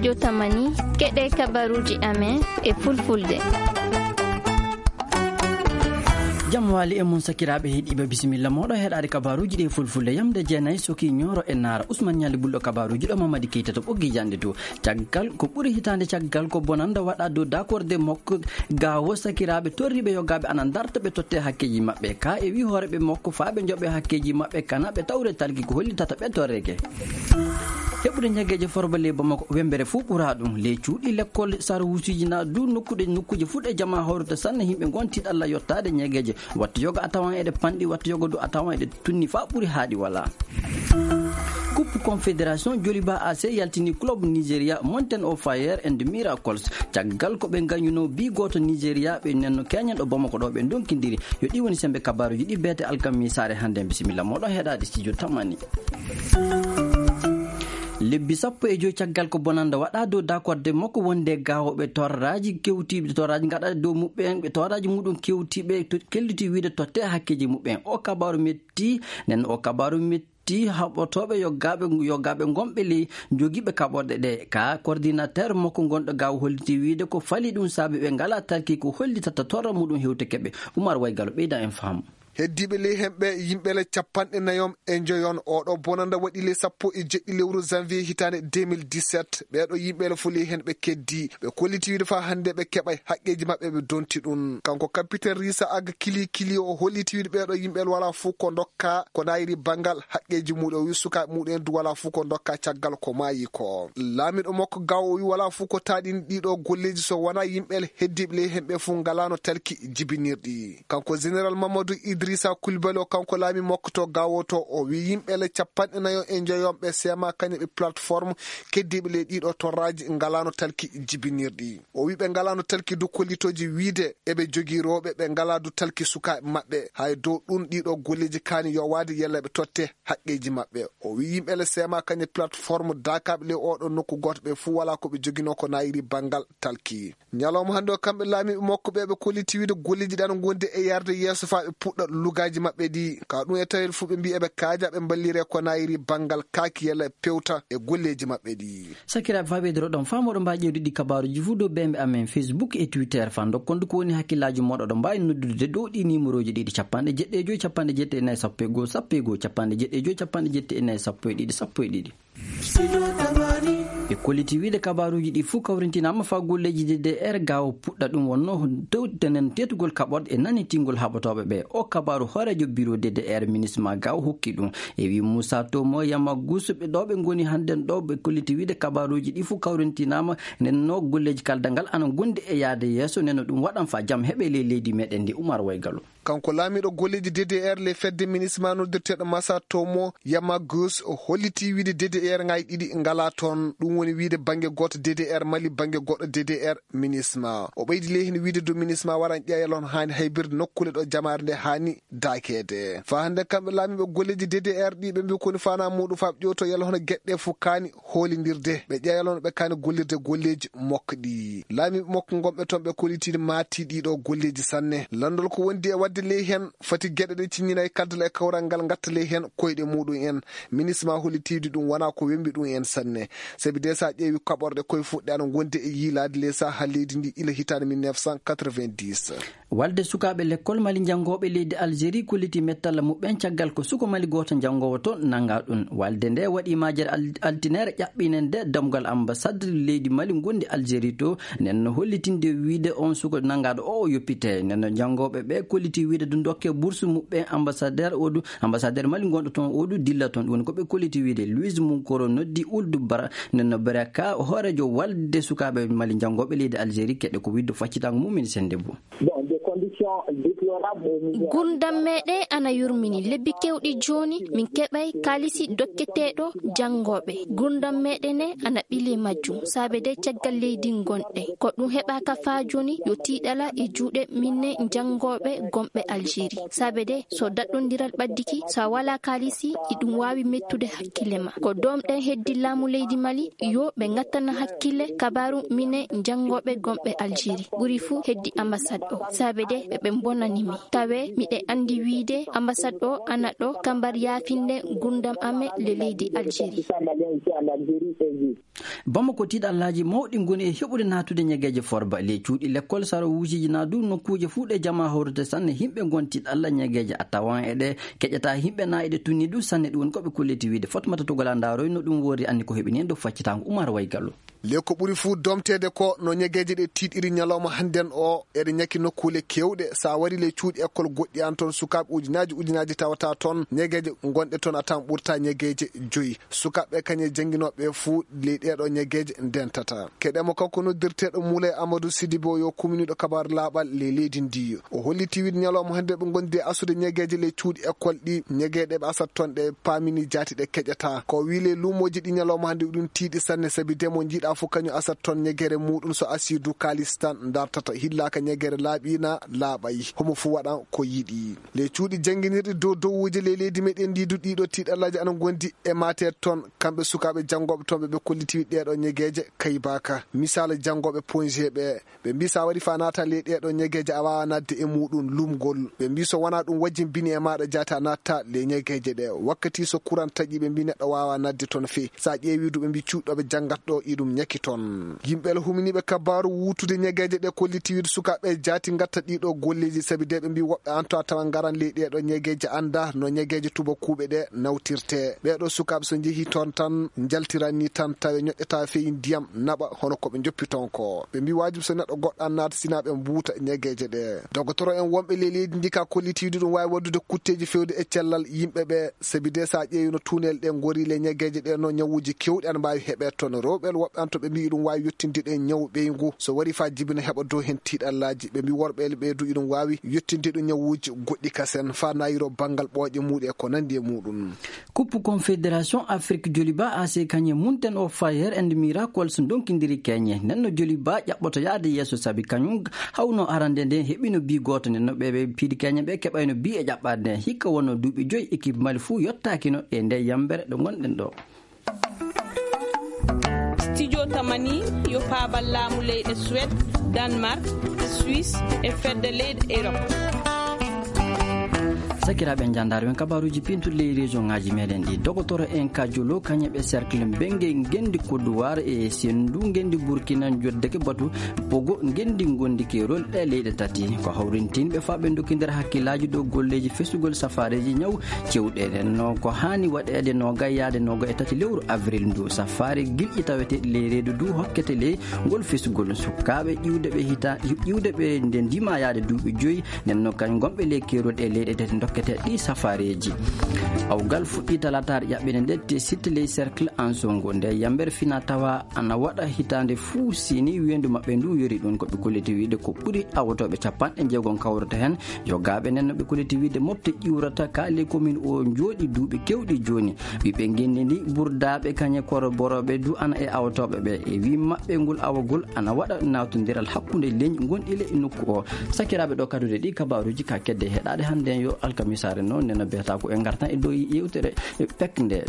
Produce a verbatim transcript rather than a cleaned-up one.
Jotamani, keɗe kabaruuji amen e fulfulde. Jam waali e mon sakiraaɓe heɗiiɓe, bisimilla mooɗo heɗaade kabaruuji ɗi e fulfulde. Yamde jeenayi soki ñooro e naara. Usman Ñaali Bulɗo kabaruuji ɗo Mamadi Keita to ɓoggi jannde to. Caggal ko ɓuri hitaande caggal ko bonannda waɗa dow dakorde mokko gawo sakiraaɓe torriiɓe yogaaɓe ana ndarta ɓe totte hakkeeji maɓɓe. Ka e wi hooreɓe mokko faa ɓe njoɓe hakkeeji maɓɓe kana ɓe tawre talki ko hollitata ɓe torreke. Heɓude ñageeje forba ley Bamako wembere fuu ɓuraa ɗum. Ley cuuɗi lekkol sarwuusiiji na du nokkuɗe nokkuuje fuu ɗe jamaa hawrata sanne himɓe ngon tiɗalla yottaade ñageeje. Wattu yoga a tawan eɗe panɗi, wattu yoga du a tawan eɗe tunni faa ɓuri haaɗi walaa. Coupe Confédération Joliba A C yaltini club Nigeria Mountain of Fire and Miracles. Caggal ko ɓe ngañuno bi gooto Nigeria ɓe nenno keñen ɗo Bamako ɗo ɓe ndonkindiri. Yo ɗi woni sembe kabaruuji ɗi beete alkamisaare hannde. Bisimilla mooɗon heɗaade studio Tamani. Lebbi sappo e joy caggal ko bonannda waɗa dow dakorde makko wonde gawoɓe torraji kewtiɓe torraji gaɗa dow muɓɓen ɓe torraji muɗum kewtiɓe to-, kelliti wiide totte hakkeji muɓɓen. O kabaru metti, nden o kabaru metti haɓotoɓe yoggaɓe, yoggaɓe gonɓe ley jogiiɓe kaɓorɗe ɗe. Ka coordinateur makko gonɗo gawo holliti wiide ko fali ɗum saabi ɓe ngala talki ko hollitata torra muɗum hewte keɓe. Umar Waygalo ɓeyda en faamu. Heddiiɓe ley hemɓe yimɓe le capanɗe nayon e njoyon. Oɗo bonanda waɗi le sappo e jeɗɗi lewru janvier hitaande deux mille dix-sept. Ɓeeɗo yimɓe le fo ley hen ɓe keddi. Ɓe kolliti wiide faa hannde ɓe keɓay haqqeeji maɓɓe ɓe donti ɗum. Kanko capitaine Risa Aga Kili Kili o holliti wiide ɓeeɗo yimɓe le walaa fof ko ndokka ko naayiri banngal haqqeeji muɗum. O wi sukaaɓe muɗum en du walaa fof ko ndokka caggal ko maayi ko. Laamiɗo makko gawo o wi walaa fof ko taaɗini ɗiɗo golleeji so wonaa yimɓe le heddiiɓe ley hemɓe fof ngalaano talki jibinirɗi. Kanko Général Mamadou Idrissa Coulibaly o, kanko laami makko to gawo to, o wi yimɓe le capanɗe nayo e njoyonɓe sema kañe ɓe plateforme keddiiɓe le ɗiɗo torraji ngalaano talki jibinirɗi. O wi ɓe ngalaano talki du kollitooji wiide eɓe jogii rewɓe ɓe ngalaa du talki sukaaɓe maɓɓe. Hay dow ɗum ɗiɗo golleeji kaani yowaade yalla ɓe totte haqqeeji maɓɓe. O wi yimɓe le sema kañe plateforme daakaaɓe le oɗo nokku gooto ɓe fuu walaa ko ɓe joginoo ko naayiri banngal talki. Ñalawma hannde o, kamɓe laamiiɓe makko ɓe, ɓe kolliti wiide golleeji ɗi ana ngondi e yarde yeeso faa ɓe puɗɗa lugaaji maɓɓe ɗi. Ka ɗum e tawel fuu ɓe mbii eɓe kaaja ɓe mballire ko naayiri banngal kaaki yalla pewta e golleeji maɓɓe ɗi. Sakiraaɓe, faa ɓeydoro ɗon faa moɗo mbaawi ƴeewde ɗi kabaaruuji fuu dow beembe amen Facebook e Twitter. Faa ndokkon du ko woni hakkillaaji mooɗon, oɗon mbaawi noddude dow ɗi niimorooji ɗiɗi, capanɗe jeɗɗi e joy, capanɗe jeɗɗi e nayi, sappo e goo, sappo e goo, capanɗe jeɗɗi e joy, capanɗe jeɗɗi e nayi, sappo e ɗiɗi, sappo e ɗiɗi. Ɓe kolliti wiide kabaaruuji ɗi fuu kawrintinaama faa golleeji D D R gawo puɗɗa. Ɗum wonno tewtenen teetugol kaɓorɗe e nanitingol haɓotooɓe ɓe. O kabaaru hooreejo biro D D R ministre ma gawo hokki ɗum. E wi Moussa Tomo Yamagusu ɓe ɗo ɓe ngoni hannden ɗo ɓe kolliti wiide kabaaruuji ɗi fuu kawrintinaama. Nenno golleeji kaldal ngal ana ngondi e yaade yeeso, nenno ɗum waɗan faa jam heɓe ley leydi meɗen ndi. Umar Waygalo. Kanko laamiiɗo golleeji D D R le fedde ministre ma noddirteeɗo Masa Tomo Yamagus o holliti wiide D D R ngaji ɗiɗi ngala toon. Ɗum woni wiide bannge gooto D D R Mali, bannge goɗɗo D D R ministre ma. O ɓeydi ley heen wiide du ministre ma waran ƴeeya lon haani haybirde nokkule ɗo jamaare nde haani daakeede. Faa hannde kamɓe laamiiɓe golleeji D D R ɗi ɓe mbii ko woni faanaa muuɗum faa ɓe ƴeewto yalla hono geɗe ɗe fof kaani hoolindirde. Ɓe ƴeeya lon ɓe kaani gollirde golleeji mokko ɗi. Laamiiɓe mokko ngonɓe toon ɓe kolliti maati ɗiɗo golleeji sanne. Lanndol ko wondi e waɗde ley heen foti geɗe ɗe ciññina e kaddal e kawral ngal ngatta ley heen koyɗe muuɗum en. Ministre ma holliti ɗum wonaa ko wembi ɗum en sanne. Sabi de so a ƴeewi kaɓorɗe koye fuɗɗe ana ngondi e yiilaade ley sahaa leydi ndi ila hitaande mille neuf cent quatre-vingt-dix. Walde sukaaɓe lekkol Mali janngooɓe leydi Algérie kolliti mettalla muɓɓen caggal ko suko Mali gooto janngoowo toon nanngaa ɗum. Walde nde waɗi majere al-, altine ere ƴaɓɓinende dammugal ambassade leydi Mali ngondi Algérie to. Nden no hollitinde wiide on suko nanngaaɗo o, o yoppite. Nden no janngooɓe ɓe kolliti wiide du dokke bourse muɓɓen ambassadeur o du, ambassadeur Mali gonɗo toon o du dilla toon. Ɗum woni ko ɓe kolliti wiide. Louise Munkoro noddi Ould Bara, nden no Baraka, hooreejo walde sukaaɓe Mali janngooɓe leydi Algérie, keɗe ko wiide faccitaango mum en sende bu. Bon, des conditions déplorables et misères. Gurdam meɗen ana yurmini. Lebbi kewɗi jooni, min keɓay kaalisi dokketeeɗo janngooɓe. Gurdam meɗen ne ana ɓili majjum. Saabe de caggal leydi ngonɗe. Ko ɗum heɓaaka faa jooni, yo tiiɗala e juuɗe minen janngooɓe gonɓe Algérie. Saabe de so daɗɗondiral ɓaddiki, so a walaa kaalisi, iɗum waawi mettude hakkille ma. Ko doomɗen heddi laamu leydi Mali, yo ɓe ngattana hakkille kabaaru minen janngooɓe gonɓe Algérie. Ɓuri fuu heddi ambassade o. Saabe de ɓe ɓe mbonani mi. Tawe miɗe anndi wiide ambassade o ana ɗo kambar yaafinde ngurdam amen le leydi Algérie. Bamako, tiiɗallaaji mawɗi ngoni e heɓude naatude ñegeeje forba. Ley cuuɗi lekkol, saro wuujiiji naa du nokkuuje fuu ɗe jamaa hawrete sanne, yimɓe ngon tiiɗalla ñegeeje a tawan e ɗe keƴata yimɓe naa eɗe tunni du sanne. Ɗum woni ko ɓe kolliti wiide. Fatmata Togola Ndaroy no ɗum woori anni ko heɓini en dow faccitaango Umar Waygallo. Le ko ɓuri fuu domteede ko no ñegeeje ɗe tiiɗiri ñalawma hannden o, eɗe ñaki nokkuule keewɗe. So a wari ley cuuɗi ekkol goɗɗi an toon, sukaaɓe ujunaaji ujunaaji tawata toon, ñegeeje gonɗe toon a tawan ɓurta ñegeeje joyi. Sukaaɓe kañe jannginooɓe fuu ley ɗeeɗo ñegeeje ndentata. Keɗemo kanko noddirteeɗo Moulay Amadou Sidibo yo kuminiiɗo kabaar laaɓal ley leydi ndi. O holliti wiide ñalawma hannde ɓe ngondi e asude ñegeeje ley cuuɗi ekkol ɗi, ñegeeɗe ɓe asat toon ɗe paamini jaati ɗe keƴata. Ko o wii ley luumooji ɗi ñalawma hannde ɗum tiiɗi sanne, sabi demo njiiɗa fof kañum asat toon ñegeere muuɗum so asii du kaalis tan dartata. Hillaaka ñegeere laaɓiina, laaɓay. Homo fuu waɗan ko yiɗi. Ley cuuɗi jannginirɗi dow dowuuji ley leydi meɗen ndi du ɗiɗo tiiɗallaaji ana ngondi e mate toon. Kamɓe sukaaɓe janngooɓe toon ɓe ɓe kolliti ɗeeɗo ñegeeje kaybaaka. Misaala janngooɓe ponje ɓe, ɓe mbii so a wari fa naata ley ɗeeɗo ñegeeje a waawa naatde e muuɗum lumgol. Ɓe mbii so wonaa ɗum wajjimbini e maaɗa jaati a naatta ley ñegeeje ɗe. Wakkati so kuran taƴi ɓe mbii neɗɗo waawa naatde toon fee. So a ƴeewi du ɓe mbii cuuɗi ɗo ɓe janngata ɗo iɗum ñaki toon. Yimɓe la huminiiɓe kabaaru wuutude ñegeeje ɗe kolliti wiide sukaaɓe jaati ngatta ɗiɗo golleeji sabi de ɓe mbii woɓɓe an to a tawa ngaran ley ɗeeɗo ñegeeje annda no ñegeeje tubakuuɓe ɗe nawtirte. Ɓeeɗo sukaaɓe so njehi toon tan njaltiran ni tan tawe ñoƴƴata fey ndiyam naɓa hono ko ɓe njoppi toon ko. Ɓe mbii waajib so neɗɗo goɗɗo an naata sina ɓe mbuuta ñegeeje ɗe. Dogotoro en wonɓe ley leydi ndi ka kolliti wiide ɗum waawi waɗdude kutteeji fewde e cellal yimɓe ɓe. Sabi de so a ƴeewi no tuunel ɗe ngori ley ñegeeje ɗe no ñawuuji keewɗi ana mbaawi heɓeede toon. Rewɓe woɓɓe an to ɓe mbii ɗum waawi yettinde ɗe ñaw ɓeyngu. So wari fa jibina heɓa dow heen tiiɗallaaji. Ɓe mbii worɓe ɓe du iɗum waawi yettinde ɗum ñawuuji goɗɗi kasen fa nayiro banngal ɓooƴe muuɗe e ko nanndi e muuɗum. Coupe Confédération Afrique Joliba A C kañe munten o Fire and Miracles ndonkindiri keñe. Nden no Joliba ƴaɓɓoto yaade yeeso sabi kañum hawno arande nden heɓino bi gooto nden no ɓe ɓe piidi keñe ɓe keɓayno bi e ƴaɓɓaade nden. Hikka wonno duuɓi joyi équipe Mali fuu yottaakino e nde yambere ɗo ngonɗen ɗo. Studio Tamani yo paabal laamu leyɗe Suède, Danemark, Suisse e fedde leyɗe Europe. Sakiraaɓe, njandaare men kabaaruuji pintuɗi ley région ŋaaji meɗen ɗi. Dogotoro en ka Jolo, kañe ɓe cercle Mbenge ngenndi Kodduwaar e Senndu ngenndi Burkina njoddeke batu Bogo ngenndi ngondi keerol ɗe leyɗe tati. Ko hawrintinɓe faa ɓe ndokkindira hakkillaaji dow golleeji fesugol safaareeji ñaw cewɗe. Nden no ko haani waɗeede noogay yaade noogay e tati lewru avril ndu. Safaare gilƴi taweteeɗi ley reedu du hokkete ley ngol fesugol. Sukaaɓe ƴiwde ɓe hita-, ƴiwde ɓe nde ndima yaade duuɓi joyi. Nden no kañ gonɓe ley keerol ɗe leyɗe tati dokkete ɗi safaareeji. Awgal fuɗɗi talataare ƴaɓɓende nde te sitte ley cercle Ansongo. Nde yambere fina tawa ana waɗa hitaande fuu sini weendu maɓɓe ndu yori ɗum. Ko ɓe kolliti wiide ko ɓuri awotooɓe capanɗe jeegom kawrata heen. Jogaaɓe nden no ɓe kolliti wiide mofte ƴiwrata ka ley commune o njooɗi duuɓi kewɗi jooni. Ɓiɓɓe ngenndi ndi burdaaɓe kañe koro borooɓe du ana e awotooɓe ɓe. E wii maɓɓe ngol awagol ana waɗa nawtondiral hakkunde leñi gonɗi ley nokku o. Sakiraaɓe, ɗo kadude ɗi kabaaruuji ka kedde heɗaade hannde yo alkamisaare noon nena beeta ko e ngartan e dow yewtere pek nde.